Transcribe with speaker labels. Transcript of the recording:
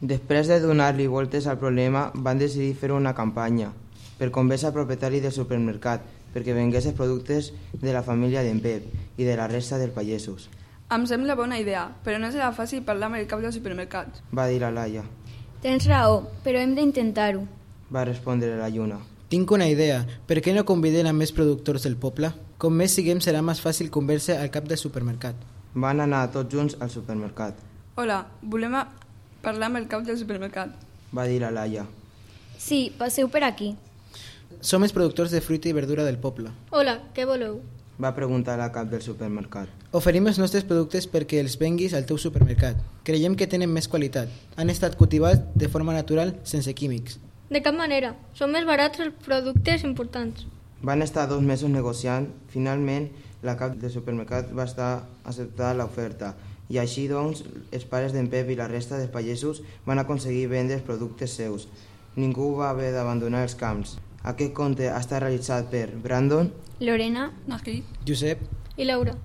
Speaker 1: Després de donar-li voltes al problema, van decidir fer una campanya per convèncer al propietari del supermercat perquè vengués els productes de la família d'en Pep i de la resta dels pagesos.
Speaker 2: Em sembla bona idea, però no serà fàcil parlar amb el cap del supermercat.
Speaker 1: Va dir la Laia.
Speaker 3: Tens raó, però hem d'intentar-ho.
Speaker 1: Va respondre la Lluna.
Speaker 4: Tinc una idea. Per què no convidem a més productors del poble? Com més siguem serà més fàcil convèncer al cap del supermercat.
Speaker 1: Van anar tots junts al supermercat.
Speaker 2: Hola, volem parlar amb el cap del supermercat.
Speaker 1: Va dir la Laia.
Speaker 3: Sí, passeu per aquí.
Speaker 4: Som els productors de fruita i verdura del poble.
Speaker 3: Hola, què voleu?
Speaker 1: Va preguntar al cap del supermercat.
Speaker 4: Oferim els nostres productes perquè els venguis al teu supermercat. Creiem que tenen més qualitat. Han estat cultivats de forma natural, sense químics.
Speaker 5: De cap manera. Són més barats els productes importants.
Speaker 1: Van estar 2 mesos negociant. Finalment, la cap del supermercat va estar acceptada l'oferta. I així, doncs, els pares d'en Pep i la resta dels pagesos van aconseguir vendre els productes seus. Ningú va haver d'abandonar els camps. Aquest conte està realitzat per Brandon,
Speaker 3: Lorena,
Speaker 2: Nahid,
Speaker 4: Josep,
Speaker 5: I Laura.